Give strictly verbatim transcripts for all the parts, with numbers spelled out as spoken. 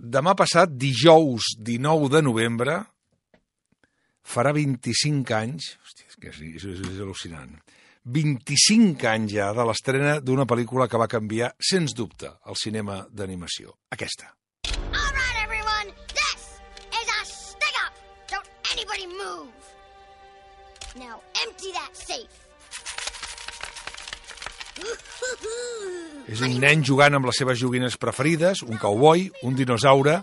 demà passat, dijous dinou de novembre, farà vint-i-cinc anys, hòstia, és que és, és, és al·lucinant, vint-i-cinc anys ja de l'estrena d'una pel·lícula que va canviar, sens dubte, el cinema d'animació. Aquesta. All right, everyone, this is a stick-up. Don't anybody move. Now empty that safe. És un nen jugant amb les seves joguines preferides, un cowboy, un dinosaure,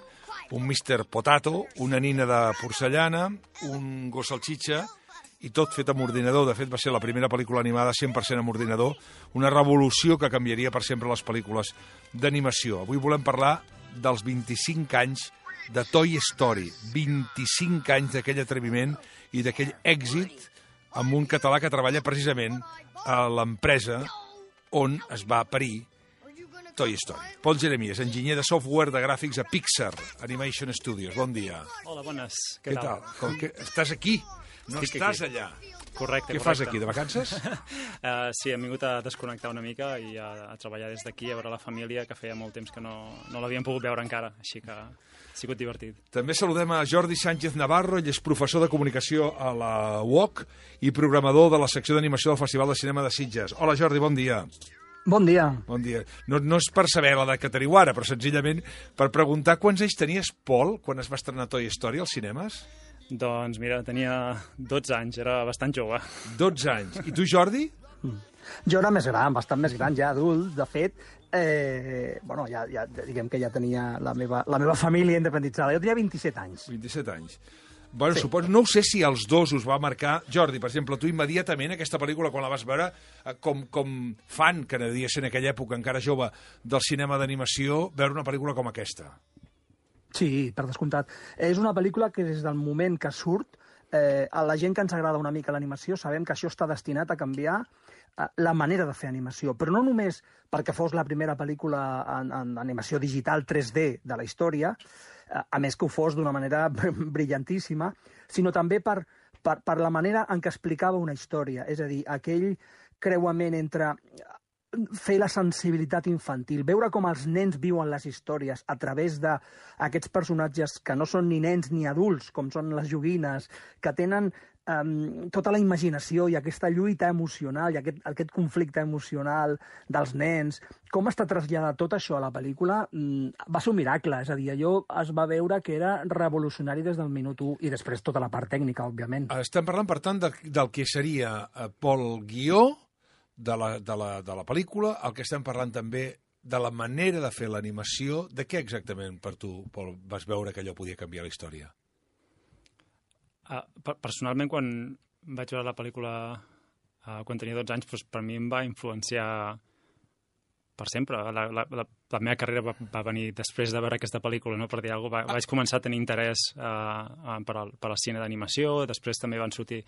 un mister Potato, una nina de porcellana, un gos salxitxa, i tot fet amb ordinador. De fet, va ser la primera pel·lícula animada cent per cent amb ordinador, una revolució que canviaria per sempre les pel·lícules d'animació. Avui volem parlar dels vint-i-cinc anys de Toy Story, vint-i-cinc anys d'aquell atreviment i d'aquell èxit amb un català que treballa precisament a l'empresa on es va parir Toy Story. Pol Jeremies, enginyer de software de gràfics a Pixar Animation Studios. Bon dia. Hola, bones. Què, Què tal? Com que estàs aquí, no Estic estàs aquí. allà. Correcte, Què correcte. fas aquí, de vacances? uh, sí, hem vingut a desconnectar una mica i a, a treballar des d'aquí, a veure la família, que feia molt temps que no, no l'havíem pogut veure encara, així que ha sigut divertit. També saludem a Jordi Sánchez Navarro, ell és professor de comunicació a la U O C i programador de la secció d'animació del Festival de Cinema de Sitges. Hola, Jordi, bon dia. Bon dia. Bon dia. No, no és per saber l'edat que teniu ara, però senzillament per preguntar quants anys tenies, Pol, quan es va estrenar Toy Story als cinemes? Doncs mira, tenia dotze anys, era bastant jove. dotze anys. I tu, Jordi? Jo era més gran, bastant més gran, ja adult. De fet, eh, bueno, ja, ja, diguem que ja tenia la meva, la meva família independitzada. Jo tenia vint-i-set anys. vint-i-set anys. Bueno, Sí. suposo, no ho sé si els dos us va marcar. Jordi, per exemple, tu immediatament aquesta pel·lícula, quan la vas veure, eh, com, com fan, que devia ser en aquella època encara jove, del cinema d'animació, veure una pel·lícula com aquesta. Sí, per descomptat. És una pel·lícula que des del moment que surt, eh, a la gent que ens agrada una mica l'animació, sabem que això està destinat a canviar eh, la manera de fer animació. Però no només perquè fos la primera pel·lícula en, en animació digital tres D de la història, eh, a més que ho fos d'una manera brillantíssima, sinó també per, per, per la manera en què explicava una història. És a dir, aquell creuament entre fer la sensibilitat infantil, veure com els nens viuen les històries a través d'aquests personatges que no són ni nens ni adults, com són les joguines, que tenen um, tota la imaginació i aquesta lluita emocional i aquest, aquest conflicte emocional dels nens, com està traslladat tot això a la pel·lícula, mm, va ser un miracle. És a dir, allò es va veure que era revolucionari des del minut u i després tota la part tècnica, òbviament. Estem parlant, per tant, de, del que seria, eh, Pol, guió de la, de, la, de la pel·lícula, el que estem parlant també de la manera de fer l'animació. De què exactament, per tu, Pol, vas veure que allò podia canviar la història? Uh, personalment, quan vaig veure la pel·lícula uh, quan tenia dotze anys, doncs, per mi em va influenciar per sempre. La, la, la, la meva carrera va, va venir després de veure aquesta pel·lícula, no? Per dir alguna cosa. Va, vaig començar a tenir interès uh, per, al, per al cine d'animació, després també van sortir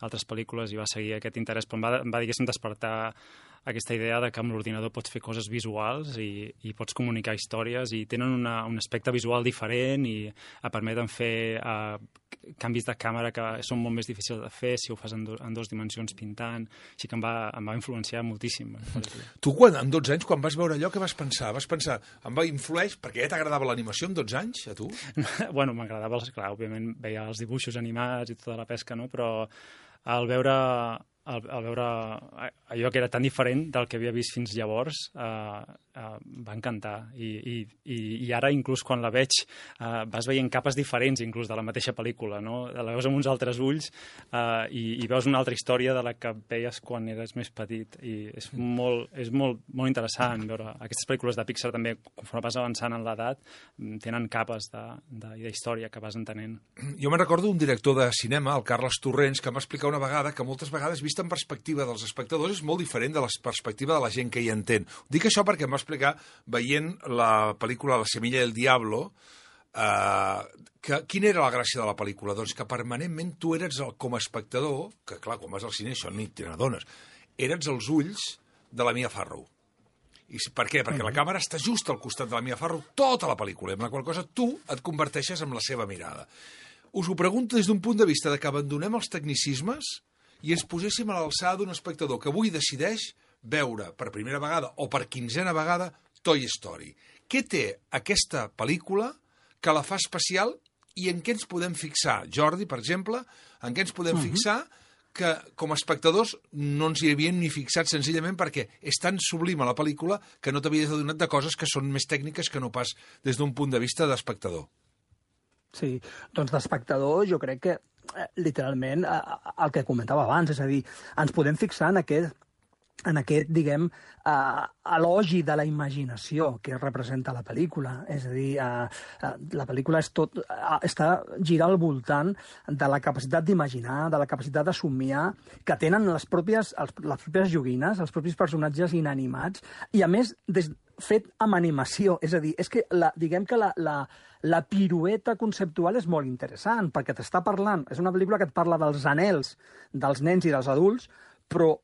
altres pel·lícules i va seguir aquest interès, però em va, em va diguéssim, despertar aquesta idea de que amb l'ordinador pots fer coses visuals i, i pots comunicar històries i tenen una, un aspecte visual diferent i et permeten fer uh, canvis de càmera que són molt més difícils de fer si ho fas en, do, en dues dimensions pintant. Així que em va, em va influenciar moltíssim. Tu, quan, amb dotze anys, quan vas veure allò, què vas pensar? Vas pensar, em va influeix, perquè ja t'agradava l'animació amb dotze anys, a tu? Bueno, m'agradava, clar, òbviament veia els dibuixos animats i tota la pesca, no? Però al veure... Al, al veure allò que era tan diferent del que havia vist fins llavors, eh, eh, va encantar. I, i, I ara, inclús quan la veig, eh, vas veient capes diferents, inclús de la mateixa pel·lícula, no? La veus amb uns altres ulls eh, i, i veus una altra història de la que veies quan eres més petit. I és molt, és molt, molt interessant veure aquestes pel·lícules de Pixar també, conforme vas avançant en l'edat, tenen capes de, de, de història que vas entenent. Jo me'n recordo un director de cinema, el Carles Torrents, que em va explicar una vegada que moltes vegades, vist en perspectiva dels espectadors, és molt diferent de la perspectiva de la gent que hi entén. Dic això perquè em va explicar, veient la pel·lícula La semilla del diablo, eh, que, quina era la gràcia de la pel·lícula? Doncs que permanentment tu eres, el, com a espectador, que clar, quan vas al cine això ni te n'adones, eres els ulls de la Mia Farrow. I per què? Perquè la càmera està just al costat de la Mia Farrow tota la pel·lícula, amb la qual cosa tu et converteixes en la seva mirada. Us ho pregunto des d'un punt de vista de que abandonem els tecnicismes i ens poséssim a l'alçada d'un espectador que avui decideix veure per primera vegada o per quinzena vegada Toy Story. Què té aquesta pel·lícula que la fa especial i en què ens podem fixar? Jordi, per exemple, en què ens podem uh-huh. fixar que com a espectadors no ens hi havíem ni fixat senzillament perquè és tan sublima la pel·lícula que no t'havies adonat de coses que són més tècniques que no pas des d'un punt de vista d'espectador. Sí, doncs d'espectador jo crec que eh, literalment eh, el que comentava abans, és a dir, ens podem fixar en aquest en aquest, diguem, uh, elogi de la imaginació que representa la pel·lícula. És a dir, uh, uh, la pel·lícula és tot, uh, està gira al voltant de la capacitat d'imaginar, de la capacitat de somiar, que tenen les pròpies, els, les pròpies joguines, els propis personatges inanimats, i a més, des, fet amb animació. És a dir, és que la, diguem que la, la, la pirueta conceptual és molt interessant, perquè t'està parlant, és una pel·lícula que et parla dels anhels dels nens i dels adults, però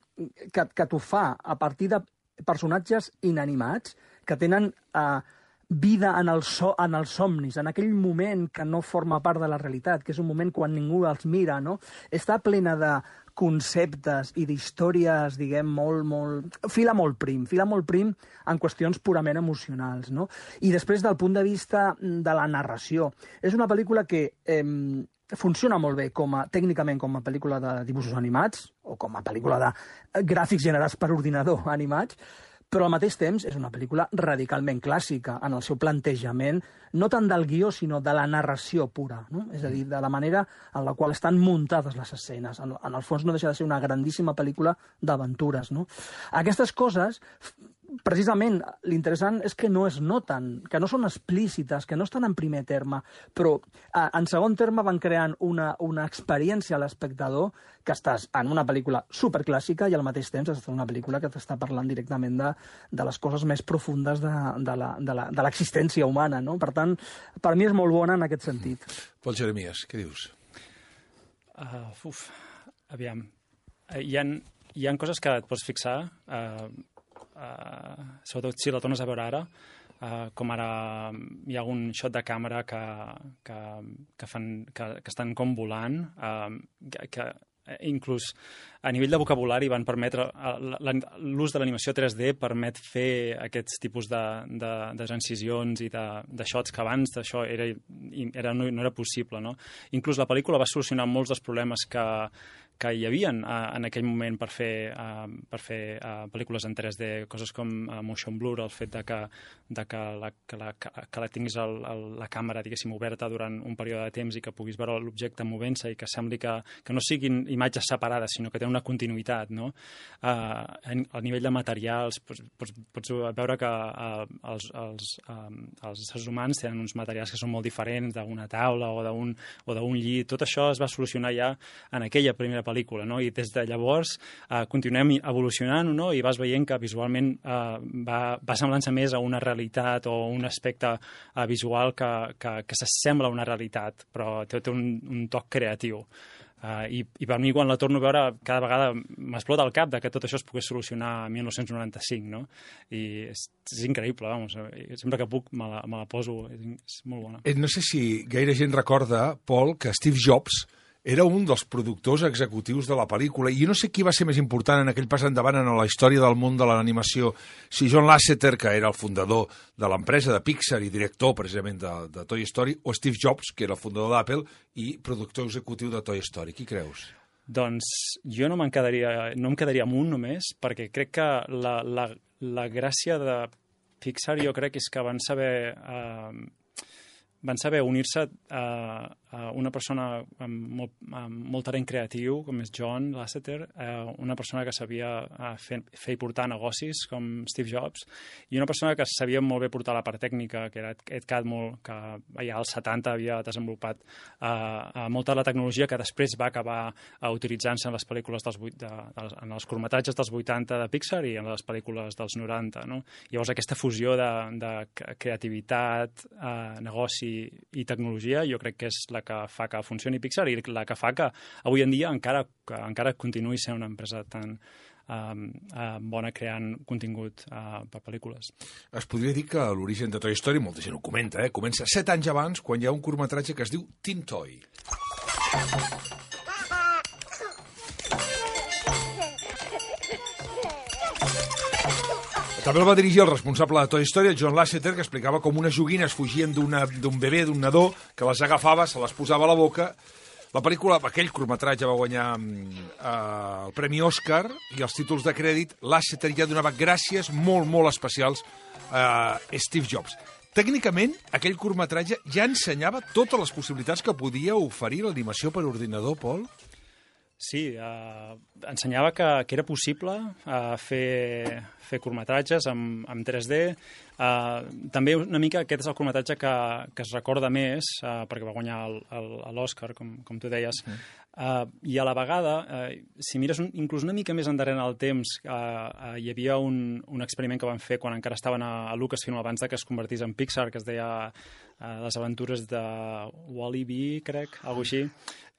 que, que t'ho fa a partir de personatges inanimats que tenen eh, vida en, el so, en els somnis, en aquell moment que no forma part de la realitat, que és un moment quan ningú els mira, no? Està plena de conceptes i d'històries, diguem, molt, molt... fila molt prim, fila molt prim en qüestions purament emocionals, no? I després, del punt de vista de la narració, és una pel·lícula que... Eh, funciona molt bé com a, tècnicament com a pel·lícula de dibuixos animats o com a pel·lícula de gràfics generats per ordinador animats, però al mateix temps és una pel·lícula radicalment clàssica en el seu plantejament, no tant del guió, sinó de la narració pura, no? És a dir, de la manera en la qual estan muntades les escenes. En, en el fons no deixa de ser una grandíssima pel·lícula d'aventures, no? Aquestes coses... Precisament, l'interessant és que no es noten, que no són explícites, que no estan en primer terme, però en segon terme van creant una, una experiència a l'espectador que estàs en una pel·lícula superclàssica i al mateix temps estàs en una pel·lícula que t'està parlant directament de, de les coses més profundes de, de, la, de, la, de l'existència humana, no? Per tant, per mi és molt bona en aquest sentit. Pol Jeremies, què dius? Uh, uf, aviam. Uh, hi, ha, hi ha coses que et pots fixar... Uh, Uh, sobretot si la tornes a veure ara, uh, com ara hi ha algun shot de càmera que, que, que, fan, que, que estan com volant, uh, que, que inclús a nivell de vocabulari van permetre... L'ús de l'animació tres D permet fer aquests tipus de, de, de transicions i de, de shots que abans d'això era, era, no, no era possible, no? Inclús la pel·lícula va solucionar molts dels problemes que, que hi havia en aquell moment per fer, per fer pel·lícules en tres D, coses com motion blur, el fet de que, de que, la, que, la, que la tinguis el, el, la càmera, diguéssim, oberta durant un període de temps i que puguis veure l'objecte movent-se i que sembli que, que no siguin imatges separades, sinó que tenen una continuïtat, no? Uh, a nivell de materials, pots, pots, pots veure que uh, els, els, um, els éssers humans tenen uns materials que són molt diferents d'una taula o d'un o d'un llit. Tot això es va solucionar ja en aquella primera pel·lícula, no? I des de llavors uh, continuem evolucionant, no? I vas veient que visualment uh, va, va semblant-se més a una realitat o un aspecte uh, visual que, que, que s'assembla a una realitat, però té, té un, un toc creatiu. Uh, i, I per mi, quan la torno a veure, cada vegada m'explota el cap de que tot això es pogués solucionar a mil nou-cents noranta-cinc, no? I és, és increïble, vamos. Sempre que puc me la, me la poso, és, és molt bona. No sé si gaire gent recorda, Pol, que Steve Jobs era un dels productors executius de la pel·lícula, i no sé qui va ser més important en aquell pas endavant en la història del món de l'animació, si John Lasseter, que era el fundador de l'empresa de Pixar i director precisament de, de Toy Story, o Steve Jobs, que era el fundador d'Apple i productor executiu de Toy Story. Qui creus? Doncs jo no, quedaria, no em quedaria amb un només, perquè crec que la, la, la gràcia de Pixar jo crec és que van saber... Eh, van saber unir-se a, a una persona amb molt, amb molt talent creatiu, com és John Lasseter, a una persona que sabia fer, fer i portar negocis, com Steve Jobs, i una persona que sabia molt bé portar la part tècnica, que era Ed Catmull, que ja als setanta havia desenvolupat uh, molta de la tecnologia que després va acabar uh, utilitzant-se en les pel·lícules dels, de, de, en els curtmetratges dels vuitanta de Pixar i en les pel·lícules dels noranta, no? Llavors aquesta fusió de, de creativitat, uh, negoci i tecnologia, jo crec que és la que fa que funcioni Pixar i la que fa que avui en dia encara, que encara continuï sent una empresa tan uh, uh, bona creant contingut uh, per pel·lícules. Es podria dir que l'origen de Toy Story, molta gent ho comenta, eh? Comença set anys abans, quan hi ha un curtmetratge que es diu Tin Toy. També el va dirigir el responsable de Toy Story, el John Lasseter, que explicava com unes joguines fugien d'un bebè, d'un nadó, que les agafava, se les posava a la boca. La pel·lícula, aquell curtmetratge va guanyar eh, el Premi Òscar i els títols de crèdit. Lasseter ja donava gràcies molt, molt especials a Steve Jobs. Tècnicament, aquell curtmetratge ja ensenyava totes les possibilitats que podia oferir l'animació per ordinador, Pol? Sí, eh, ensenyava que, que era possible eh, fer, fer curtmetratges amb, amb tres D. Eh, també una mica aquest és el curtmetratge que, que es recorda més, eh, perquè va guanyar l'Òscar, com, com tu deies. Mm. Uh, I a la vegada, uh, si mires un, inclús una mica més endarrere en el temps, uh, uh, hi havia un, un experiment que van fer quan encara estaven a, a Lucasfilm abans de que es convertís en Pixar, que es deia uh, Les aventures de Wall-E, crec, alguna així.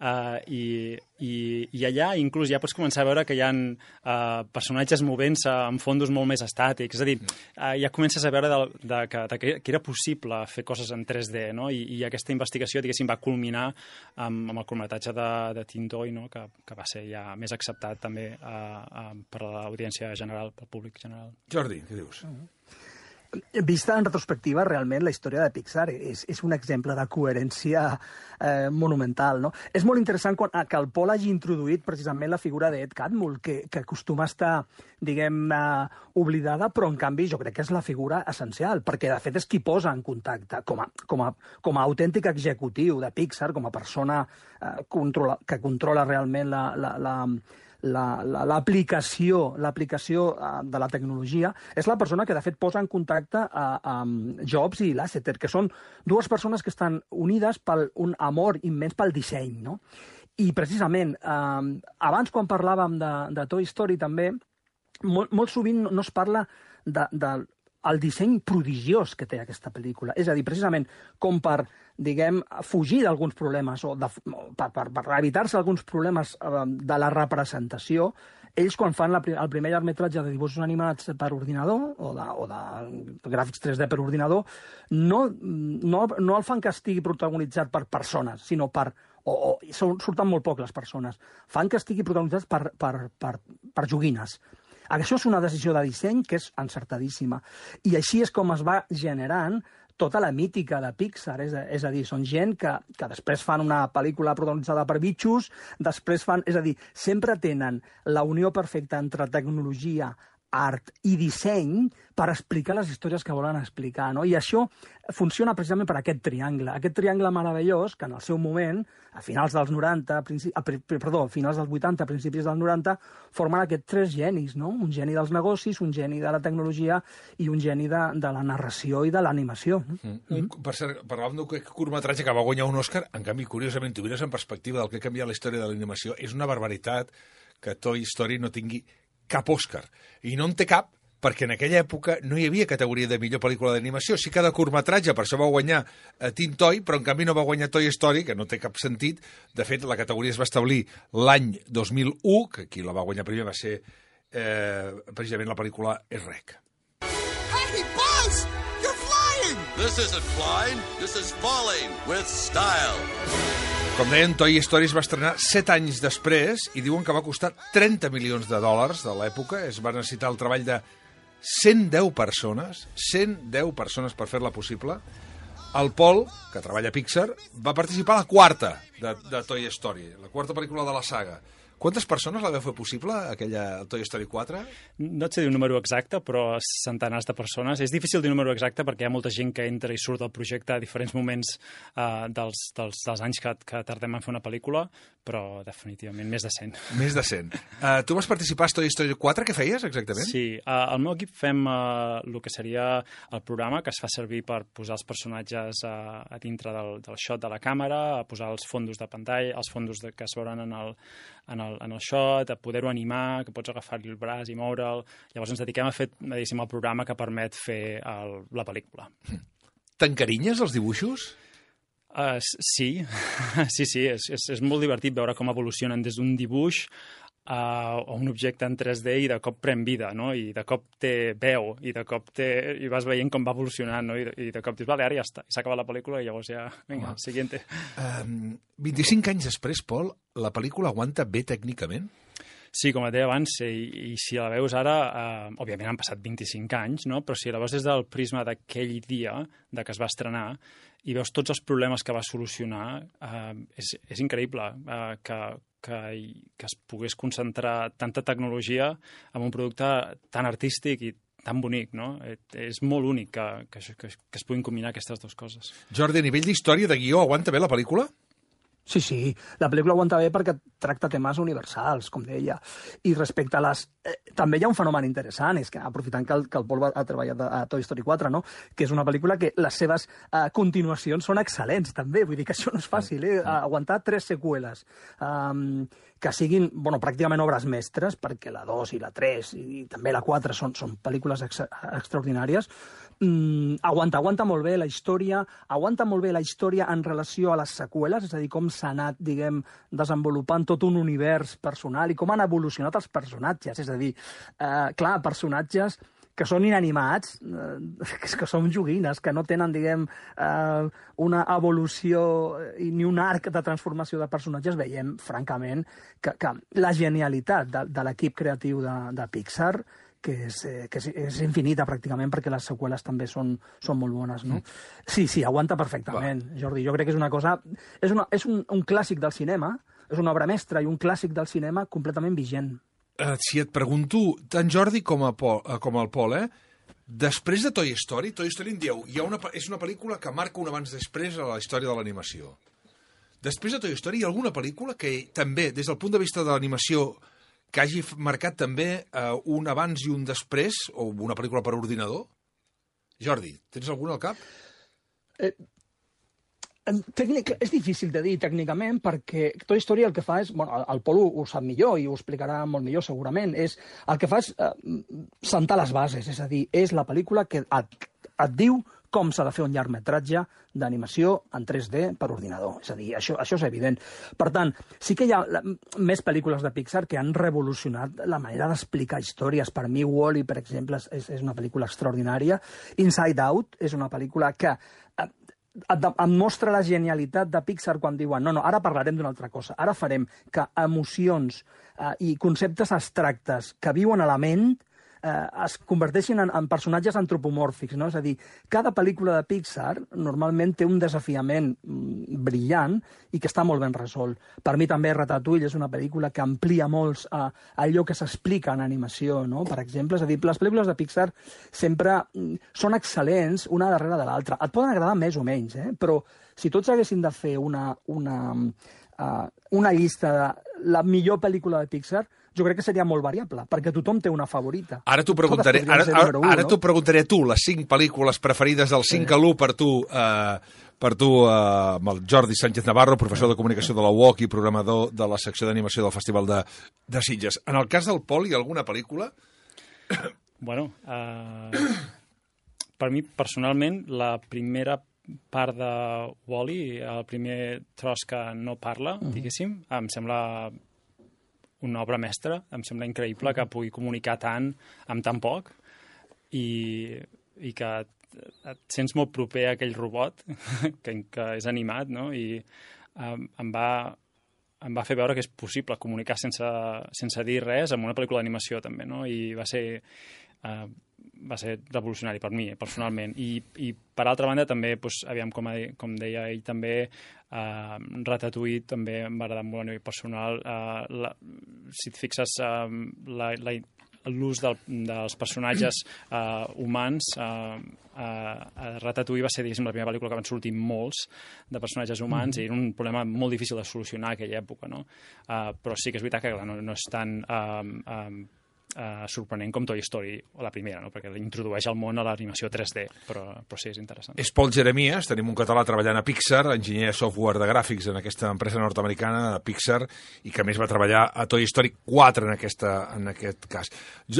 Uh, i, i, I allà inclús ja pots començar a veure que hi ha uh, personatges movent-se en fondos molt més estàtics. És a dir, uh, ja comences a veure de, de, que, de que, que era possible fer coses en tres D, no? I, i aquesta investigació, diguéssim, va culminar amb, amb el curtmetratge de, de Tin Toy, no? que, que va ser ja més acceptat també uh, uh, per l'audiència general, pel públic general. Jordi, què dius? Uh-huh. Vista en retrospectiva, realment, la història de Pixar és, és un exemple de coherència eh, monumental, no? És molt interessant quan, que el Pol hagi introduït precisament la figura d'Ed Catmull, que, que acostuma a estar, diguem, eh, oblidada, però en canvi jo crec que és la figura essencial, perquè de fet és qui posa en contacte, com a, com a, com a autèntic executiu de Pixar, com a persona eh, controla, que controla realment la... la, la l'aplicació la, l'aplicació de la tecnologia, és la persona que de fet posa en contacte a, a Jobs i Lasseter, que són dues persones que estan unides per un amor immens pel disseny, no? I precisament, eh, abans quan parlàvem de, de Toy Story també, molt, molt sovint no es parla de, de el disseny prodigiós que té aquesta pel·lícula. És a dir, precisament com per, diguem, fugir d'alguns problemes o de, per, per, per evitar-se alguns problemes eh, de la representació, ells quan fan la, el primer llargmetratge de dibuixos animats per ordinador o de, o de gràfics tres D per ordinador, no, no, no el fan que estigui protagonitzat per persones, sinó per... o, o surten molt poc les persones. Fan que estigui protagonitzat per, per, per, per joguines. Això és una decisió de disseny que és encertadíssima. I així és com es va generant tota la mítica de Pixar. És a, és a dir, són gent que, que després fan una pel·lícula protagonitzada per bitxos, després fan... És a dir, sempre tenen la unió perfecta entre tecnologia, art i disseny per explicar les històries que volen explicar, no? I això funciona precisament per aquest triangle, aquest triangle meravellós que en el seu moment, a finals dels noranta, a, perdó, a finals dels vuitanta, principis dels noranta, formen aquests tres genis, no? Un geni dels negocis, un geni de la tecnologia i un geni de, de la narració i de l'animació. Mm. Mm. Per cert, parlàvem d'un curtmetratge que va guanyar un Òscar, en canvi, curiosament, tu mires en perspectiva del que ha canviat la història de l'animació, és una barbaritat que Toy Story no tingui cap Òscar. I no en té cap perquè en aquella època no hi havia categoria de millor pel·lícula d'animació. Sí que de curtmetratge, per això va guanyar eh, Tin Toy, però en canvi no va guanyar Toy Story, que no té cap sentit. De fet, la categoria es va establir l'any dos mil u, que qui la va guanyar primer va ser eh, precisament la pel·lícula Shrek. Hey, Buzz! You're flying! This isn't flying, this is falling with style. Com deien, Toy Story es va estrenar set anys després i diuen que va costar trenta milions de dòlars de l'època. Es va necessitar el treball de cent deu persones, cent deu persones per fer-la possible. El Pol, que treballa a Pixar, va participar a la quarta de, de Toy Story, la quarta pel·lícula de la saga. Quantes persones la vau fer possible, aquella Toy Story quatre? No et sé dir un número exacte, però centenars de persones. És difícil dir un número exacte perquè hi ha molta gent que entra i surt del projecte a diferents moments uh, dels, dels, dels anys que, que tardem en fer una pel·lícula, però definitivament més de cent. Més de cent. Uh, tu vas participar a Toy Story quatre, què feies exactament? Sí, uh, al meu equip fem uh, el que seria el programa que es fa servir per posar els personatges uh, a dintre del, del shot de la càmera, a posar els fondos de pantalla, els fondos de, que es veuran en el, en el en el shot, a poder-ho animar, que pots agafar-li el braç i moure'l. Llavors ens dediquem a fer, diguéssim, el programa que permet fer el, la pel·lícula. T'encarinyes els dibuixos? Uh, sí, sí, sí, és, és, és molt divertit veure com evolucionen des d'un dibuix a un objecte en tres D i de cop pren vida, no? I de cop té veu, i de cop té... i vas veient com va evolucionant, no? I de, i de cop dius, vale, ara ja està, i s'ha acabat la pel·lícula i llavors ja... Vinga, ah. Siguiente. Um, vint-i-cinc anys després, Pol, la pel·lícula aguanta bé tècnicament? Sí, com et deia abans, i, i si la veus ara, eh, òbviament han passat vint-i-cinc anys, no? Però si la veus des del prisma d'aquell dia de que es va estrenar i veus tots els problemes que va solucionar, eh, és, és increïble eh, que, que, que es pogués concentrar tanta tecnologia en un producte tan artístic i tan bonic, no? És molt únic que, que, que, que es puguin combinar aquestes dues coses. Jordi, a nivell d'història, de guió, aguanta bé la pel·lícula? Sí, sí, la pel·lícula aguanta bé perquè tracta temes universals, com deia. I respecte a les... Eh, també hi ha un fenomen interessant, és que aprofitant que el, que el Pol ha treballat a Toy Story quatre, no? Que és una pel·lícula que les seves eh, continuacions són excel·lents, també. Vull dir que això no és fàcil, eh? Aguantar tres seqüeles um, que siguin, bueno, pràcticament obres mestres, perquè la dos i la tres i també la quatre són, són pel·lícules ex extraordinàries. Mm, aguanta, aguanta molt bé la història, aguanta molt bé la història en relació a les seqüeles, és a dir, com s'ha anat, diguem, desenvolupant tot un univers personal i com han evolucionat els personatges, és a dir, eh, clar, personatges que són inanimats, eh, que són joguines, que no tenen, diguem, eh, una evolució i ni un arc de transformació de personatges, veiem, francament, que, que la genialitat de, de l'equip creatiu de, de Pixar que és, eh, que és, és infinita, pràcticament, perquè les seqüeles també són, són molt bones, no? Mm. Sí, sí, aguanta perfectament, Va. Jordi. Jo crec que és una cosa... És, una, és un, un clàssic del cinema, és una obra mestra i un clàssic del cinema completament vigent. Uh, si et pregunto, tant Jordi com, a Pol, uh, com el Pol, eh? Després de Toy Story, Toy Story em dieu, hi ha una, és una pel·lícula que marca un abans-després a la història de l'animació. Després de Toy Story, hi ha alguna pel·lícula que també, des del punt de vista de l'animació, que hagi marcat també eh, un abans i un després, o una pel·lícula per ordinador? Jordi, tens alguna al cap? Eh, tècnic, és difícil de dir tècnicament, perquè Toy Story el que fa és... Bueno, el Pol ho, ho sap millor i ho explicarà molt millor segurament. És, el que fa és eh, sentar les bases, és a dir, és la pel·lícula que et, et diu com s'ha de fer un llargmetratge d'animació en tres D per ordinador. És a dir, això, això és evident. Per tant, sí que hi ha la, més pel·lícules de Pixar que han revolucionat la manera d'explicar històries. Per mi, Wall-E, per exemple, és, és una pel·lícula extraordinària. Inside Out és una pel·lícula que eh, et, et mostra la genialitat de Pixar quan diuen no, no, ara parlarem d'una altra cosa. Ara farem que emocions eh, i conceptes abstractes que viuen a la ment Eh, es converteixin en, en personatges antropomòrfics, no? És a dir, cada pel·lícula de Pixar normalment té un desafiament mm, brillant i que està molt ben resolt. Per mi també Ratatouille és una pel·lícula que amplia molt a, a allò que s'explica en animació, no? Per exemple, és a dir, les pel·lícules de Pixar sempre mm, són excel·lents una darrere de l'altra. Et poden agradar més o menys, eh? Però si tots haguessin de fer una, una, uh, una llista de la millor pel·lícula de Pixar, jo crec que seria molt variable, perquè tothom té una favorita. Ara t'ho preguntaré, ara, ara, ara no? t'ho preguntaré a tu, les cinc pel·lícules preferides del cinc a l'u per tu, eh, per tu eh, amb el Jordi Sánchez Navarro, professor de comunicació de la U O C i programador de la secció d'animació del Festival de, de Sitges. En el cas del Pol, hi ha alguna pel·lícula? Bueno, eh, per mi, personalment, la primera part de Wall-E, el primer tros que no parla, uh-huh. diguéssim, em sembla una obra mestra, em sembla increïble que pugui comunicar tant amb tan poc i, i que et, et sents molt proper a aquell robot que, que és animat, no? I um, em, va, em va fer veure que és possible comunicar sense, sense dir res amb una pel·lícula d'animació també, no? I va ser, uh, va ser revolucionari per mi, personalment. I, i per altra banda, també, doncs, aviam, com, a, com deia ell, també Uh, Ratatouille també em va agradar molt a nivell personal. Uh, la, si et fixes, uh, la, la, l'ús del, dels personatges uh, humans, uh, uh, Ratatouille va ser, diguéssim, la primera pel·lícula que van sortir molts de personatges humans mm. i era un problema molt difícil de solucionar a aquella època, no? Uh, però sí que és veritat que clar, no, no és tan... Um, um, Uh, sorprenent com Toy Story, la primera, no? Perquè introdueix al món a l'animació tres D, però, però sí, és interessant. És Pol Jeremies, tenim un català treballant a Pixar, enginyer de software de gràfics en aquesta empresa nord-americana, Pixar, i que a més va treballar a Toy Story quatre en, aquesta, en aquest cas.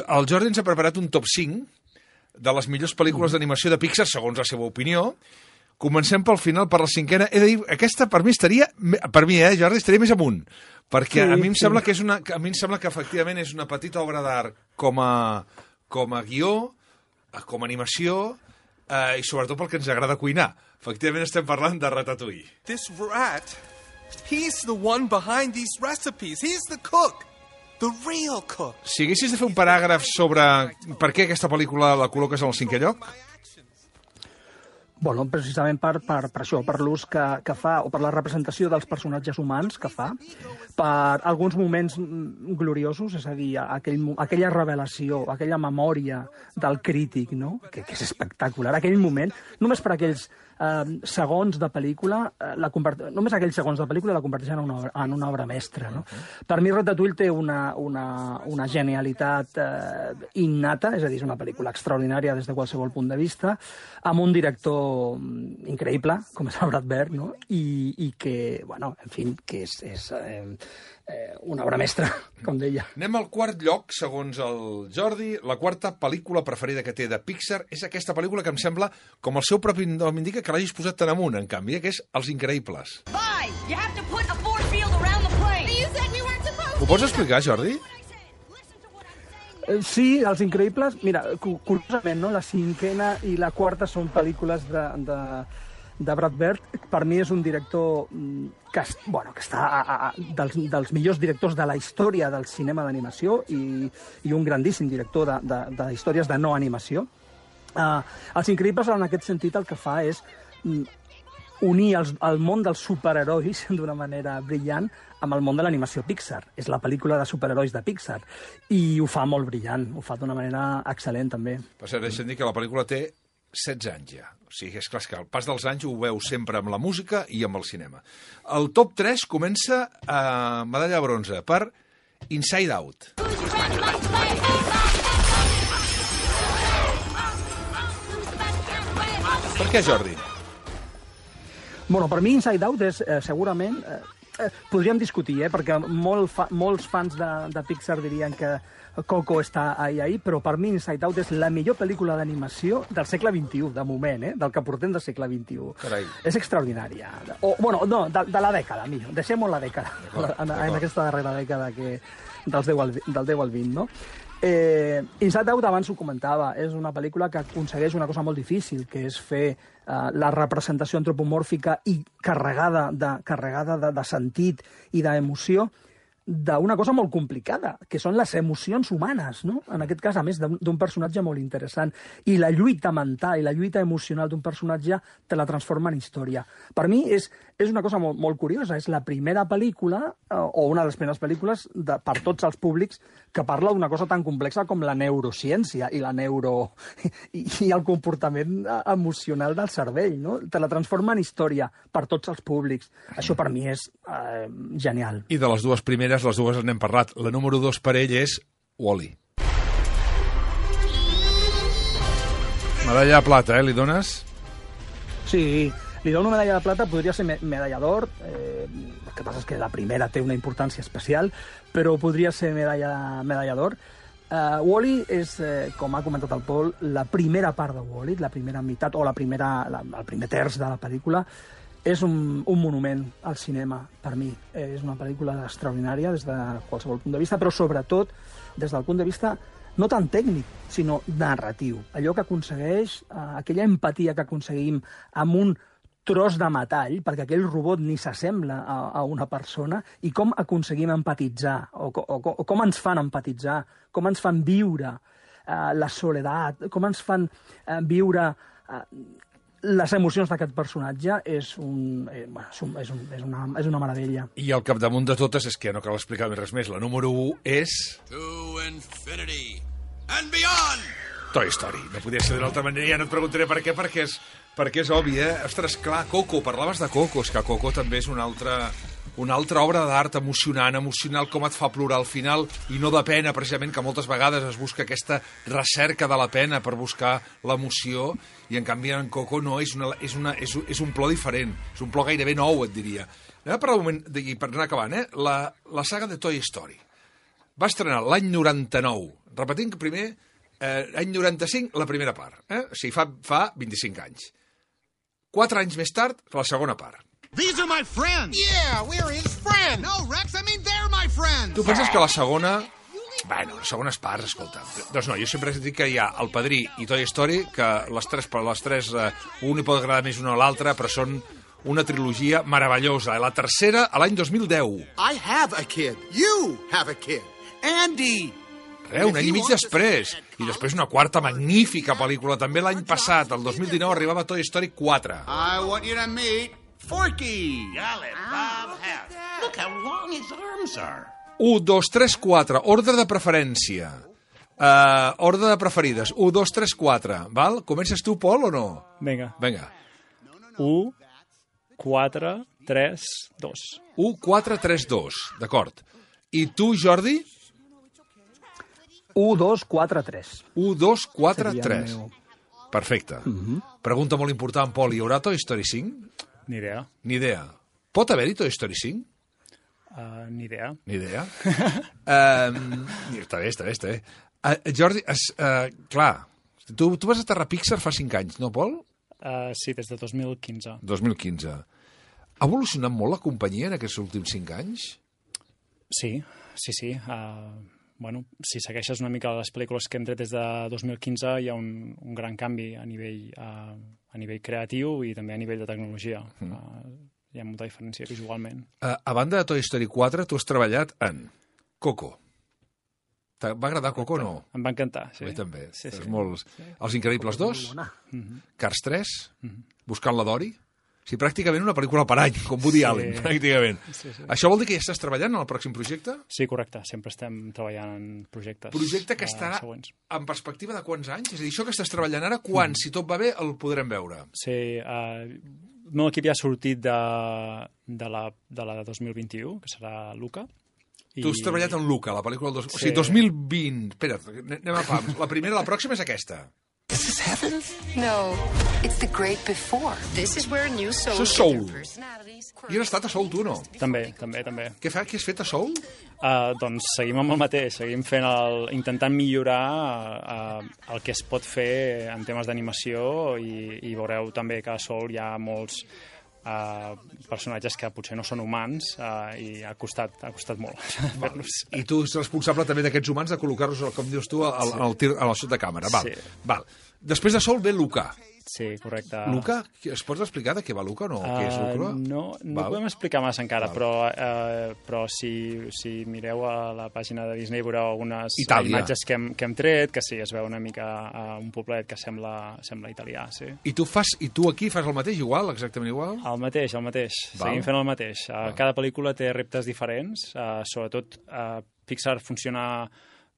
El Jordi ens ha preparat un top cinc de les millors pel·lícules d'animació de Pixar, segons la seva opinió. Comencem pel final, per la cinquena. He de dir, aquesta per mi estaria, per mi, eh, Jordi, estaria més amunt. Perquè sí, a mi em sí. sembla que és una, a mi em sembla que efectivament és una petita obra d'art com a, com a guió, com a animació, eh, i sobretot pel que ens agrada cuinar. Efectivament estem parlant de Ratatouille. This rat, he's the one behind these recipes. He's the cook. The real cook. Si haguessis de fer un paràgraf sobre per què aquesta pel·lícula la col·loques en el cinquè lloc? Bueno, precisament per, per, per això, per l'ús que, que fa, o per la representació dels personatges humans que fa, per alguns moments gloriosos, és a dir, aquell, aquella revelació, aquella memòria del crític, no? que, que és espectacular, aquell moment, només per aquells eh, segons de pel·lícula, eh, la convert... només aquells segons de pel·lícula la converteixen en una obra, en una obra mestra. No? Uh-huh. Per mi Ratatouille té una, una, una genialitat eh, innata, és a dir, és una pel·lícula extraordinària des de qualsevol punt de vista, amb un director increïble, com és el Brad Bird, no? I, i que, bueno, en fi, que és, és eh, eh, una obra mestra, com deia. Anem al quart lloc, segons el Jordi. La quarta pel·lícula preferida que té de Pixar és aquesta pel·lícula que em sembla, com el seu propi nom indica, que l'hagis posat tan amunt, en canvi, que és Els Increïbles. Ho pots explicar, Jordi? Sí, Els Increïbles, mira, curiosament, no? La cinquena i la quarta són pel·lícules de, de, de Brad Bird. Per mi és un director que, bueno, que està a, a, dels, dels millors directors de la història del cinema d'animació i, i un grandíssim director de, de, de històries de no animació. Uh, Els Increïbles, en aquest sentit, el que fa és unir els, el món dels superherois d'una manera brillant amb el món de l'animació Pixar. És la pel·lícula de superherois de Pixar. I ho fa molt brillant, ho fa d'una manera excel·lent, també. Per cert, deixa'm dir que la pel·lícula té setze anys ja. O sigui, és clar que al pas dels anys ho veu sempre amb la música i amb el cinema. El top tres comença a medalla de bronze per Inside Out. Per què, Jordi? Bueno, per mi Inside Out és eh, segurament... Eh, eh, podríem discutir, eh, perquè molt fa, molts fans de, de Pixar dirien que Coco està ahí, ahí, però per mi Inside Out és la millor pel·lícula d'animació del segle vint-i-u, de moment, eh, del que portem del segle vint-i-u. Carai. És extraordinària. O, bueno, no, de, de la dècada, millor. Deixem-ho en la dècada, en, en aquesta darrera dècada que, dels deu al, del deu al vint, no? Eh, Inside Out, abans ho comentava, és una pel·lícula que aconsegueix una cosa molt difícil, que és fer eh, la representació antropomòrfica i carregada de, carregada de, de sentit i d'emoció d'una cosa molt complicada, que són les emocions humanes, no? En aquest cas, a més d'un personatge molt interessant. I la lluita mental i la lluita emocional d'un personatge te la transforma en història. Per mi és, és una cosa molt, molt curiosa. És la primera pel·lícula, eh, o una de les primeres pel·lícules, de, per tots els públics, que parla d'una cosa tan complexa com la neurociència i la neuro... i, i el comportament emocional del cervell, no? Te la transforma en història per tots els públics. Això per mi és eh, genial. I de les dues primeres, les dues n'hem parlat. La número dos per ell és Wall-E. Medalla de plata, eh? Li dones? Sí, li dono medalla de plata, podria ser me medalla d'or, eh, el que passa és que la primera té una importància especial, però podria ser medalla, medalla d'or. Uh, Wall-E és, eh, com ha comentat el Pol, la primera part de Wall-E, la primera meitat, o la primera, la, el primer terç de la pel·lícula. És un, un monument al cinema, per mi. Eh, és una pel·lícula extraordinària des de qualsevol punt de vista, però sobretot des del punt de vista no tan tècnic, sinó narratiu. Allò que aconsegueix, eh, aquella empatia que aconseguim amb un tros de metall, perquè aquell robot ni s'assembla a, a una persona, i com aconseguim empatitzar, o, o, o com ens fan empatitzar, com ens fan viure eh, la soledat, com ens fan eh, viure eh, les emocions d'aquest personatge, és, un, eh, bueno, és, un, és, un, és, una, és una meravella. I al capdamunt de totes, és que no cal explicar res més, la número u és... To infinity and beyond! Toy Story. No podia ser d'una altra manera, ja no et preguntaré per què, perquè és, perquè és obvi, eh? Ostres, clar, Coco, parlaves de Coco, és que Coco també és una altra, una altra obra d'art emocionant, emocional, com et fa plorar al final, i no de pena, precisament, que moltes vegades es busca aquesta recerca de la pena per buscar l'emoció, i en canvi en Coco no, és, una, és, una, és, és un plor diferent, és un plor gairebé nou, et diria. Anem a parlar un moment, i per anar acabant, eh? la, la saga de Toy Story. Va estrenar l'any noranta-nou, repetint que primer... Eh, any noranta-cinc, la primera part. Eh? O sigui, fa, fa vint-i-cinc anys. Quatre anys més tard, la segona part. These are my friends! Yeah, we're his friends! No, Rex, I mean they're my friends! Tu penses que la segona... Bueno, les segones parts, escolta. Doncs no, jo sempre he dit que hi ha El Padrí i Toy Story, que les tres, les tres eh, un hi pot agradar més una a l'altra, però són una trilogia meravellosa. La tercera, a l'any dos mil deu. I have a kid. You have a kid. Andy! Res, un any i mig després. I després una quarta magnífica pel·lícula. També l'any passat, el dos mil dinou, arribava Toy Story quatre. I want you to meet Forky. I'll let Bob have. Look how long his arms are. u, dos, tres, quatre. Ordre de preferència. Uh, ordre de preferides. u, dos, tres, quatre. Val? Comences tu, Pol, o no? Vinga. Vinga. u, quatre, tres, dos. u, quatre, tres, dos. D'acord. I tu, Jordi? u, dos, quatre, tres. u, dos, quatre, Seria el tres. meu. Perfecte. Pregunta molt important, Pol. Hi haurà Toy Story cinc? Ni idea. Ni idea. Pot haver-hi Toy Story cinc? Uh, ni idea. Ni idea. um, està bé, està bé, està bé. Uh, Jordi, es, uh, clar, tu, tu vas aterrar a Pixar fa cinc anys, no, Pol? Uh, sí, des de dos mil quinze. dos mil quinze. Ha evolucionat molt la companyia en aquests últims cinc anys? Sí, sí, sí. Uh, bueno, si segueixes una mica les pel·lícules que hem tret des de dos mil quinze, hi ha un, un gran canvi a nivell, uh, a nivell creatiu i també a nivell de tecnologia. Mm. Uh, hi ha molta diferència visualment. Uh, a banda de Toy Story quatre, tu has treballat en Coco. Va agradar Coco o no? Em va encantar, sí. A mi també. Sí, sí. Molts... sí. Els Increïbles dos, Mm-hmm. Cars tres, Buscant la Dory... Sí, pràcticament una pel·lícula per any, com Woody Sí. Allen, pràcticament. Sí, sí. Això vol dir que ja estàs treballant en el pròxim projecte? Sí, correcte. Sempre estem treballant en projectes Projecte que uh, estarà següents. en perspectiva de quants anys? És a dir, això que estàs treballant ara, quan, mm. si tot va bé, el podrem veure? Sí, uh, el meu equip ja ha sortit de, de, la, de la de dos mil vint-i-u, que serà Luca. I... Tu has treballat en Luca, la pel·lícula del dos... Sí. O sigui, dos mil vint... Espera, anem a pams. La primera, la pròxima és aquesta. This is heaven? No, it's the great before. This is where new souls Això és get Soul. their personalities. I has estat a Soul, tu, no? També, també, també. Què, fa, què has fet a Soul? Uh, doncs seguim amb el mateix, seguim fent el, intentant millorar uh, el que es pot fer en temes d'animació i, i veureu també que a Soul hi ha molts uh, personatges que potser no són humans uh, i ha costat, ha costat molt fer-los. I tu ets responsable també d'aquests humans de col·locar-los, com dius tu, al, Sí. al, tir, al sud de càmera. Val. Sí. Val. Després de Soul ve Luca. Sí, correcte. Luca, es pots explicar de què va Luca o no? Què és Luca? Uh, no, no Val. podem explicar massa encara, Val. però, uh, però si, si mireu a la pàgina de Disney veureu algunes Itàlia. imatges que hem, que hem tret, que sí, es veu una mica uh, un poblet que sembla, sembla italià, sí. I tu, fas, I tu aquí fas el mateix, igual, exactament igual? El mateix, el mateix. Val. Seguim fent el mateix. Uh, cada pel·lícula té reptes diferents. Uh, sobretot, uh, Pixar funciona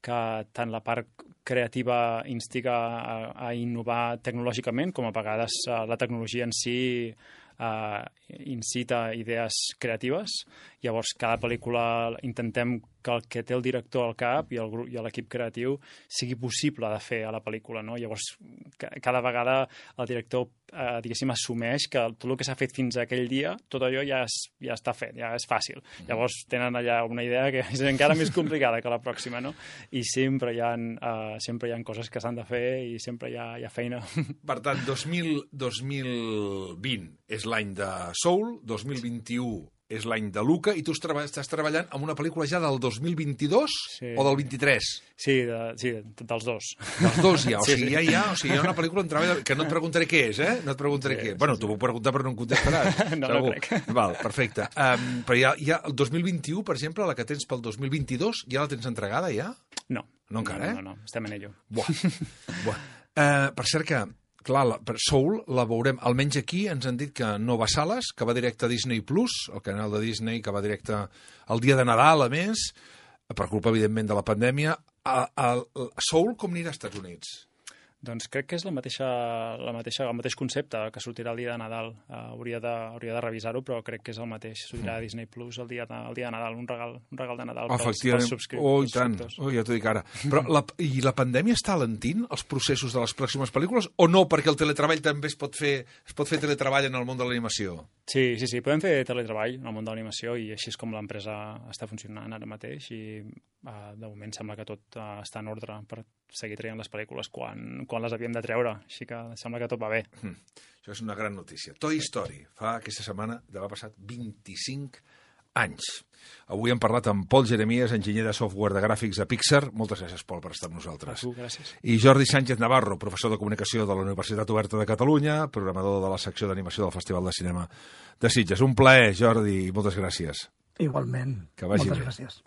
que tant la part creativa instiga a, a innovar tecnològicament, com a vegades uh, la tecnologia en si uh, incita idees creatives. Llavors, cada pel·lícula intentem que el que té el director al cap i el grup i l'equip creatiu sigui possible de fer a la pel·lícula, no? Llavors, ca cada vegada el director, eh, diguéssim, assumeix que tot el que s'ha fet fins a aquell dia, tot allò ja, és, ja està fet, ja és fàcil. Llavors, tenen allà una idea que és encara més complicada que la pròxima, no? I sempre hi ha, eh, sempre hi ha coses que s'han de fer i sempre hi ha, hi ha feina. Per tant, dos mil, dos mil vint és l'any de Soul, dos mil vint-i-u és l'any de Luca, i tu treba, estàs treballant en una pel·lícula ja del dos mil vint-i-dos Sí. o del vint-i-tres? Sí, de, sí, dels dos. Dels dos ja, o Sí, sigui, sí. ja hi ha, o sigui, hi ha una pel·lícula en treball que no et preguntaré què és, eh? No et preguntaré Sí, què. sí, Bueno, sí. t'ho puc preguntar però no em contestaràs. No, no segur. crec. Val, perfecte. Um, però ja, ja el dos mil vint-i-u, per exemple, la que tens pel dos mil vint-i-dos, ja la tens entregada, ja? No. No encara, eh? No, no, estem en ello. Buah. Buah. Uh, per cert que, clar, la, per Soul la veurem, almenys aquí ens han dit que no va a sales, que va directe a Disney Plus, el canal de Disney, que va directe el dia de Nadal, a més, per culpa, evidentment, de la pandèmia. A, a, a Soul com anirà als Estats Units? Doncs crec que és la mateixa, la mateixa, el mateix concepte que sortirà el dia de Nadal. Uh, hauria de, hauria de revisar-ho, però crec que és el mateix. Sortirà a Disney Plus el dia de, el dia de Nadal, un regal, un regal de Nadal pels, Efectivament. pels subscriptors. Oh, i tant. Oh, ja t'ho dic ara. Però la, I la pandèmia està alentint els processos de les pròximes pel·lícules o no? Perquè el teletreball també es pot fer, es pot fer teletreball en el món de l'animació. Sí, sí, sí, podem fer teletreball en el món de l'animació i així és com l'empresa està funcionant ara mateix i uh, de moment sembla que tot uh, està en ordre per seguir traient les pel·lícules quan, quan les havíem de treure, així que sembla que tot va bé. Mm. Això és una gran notícia. Toy Story fa aquesta setmana d'haver passat vint-i-cinc anys. Avui hem parlat amb Pol Jeremies, enginyer de software de gràfics a Pixar. Moltes gràcies, Pol, per estar amb nosaltres. A tu, gràcies. I Jordi Sánchez Navarro, professor de comunicació de la Universitat Oberta de Catalunya, programador de la secció d'animació del Festival de Cinema de Sitges. Un plaer, Jordi, i moltes gràcies. Igualment. Que vagi Moltes bé. gràcies.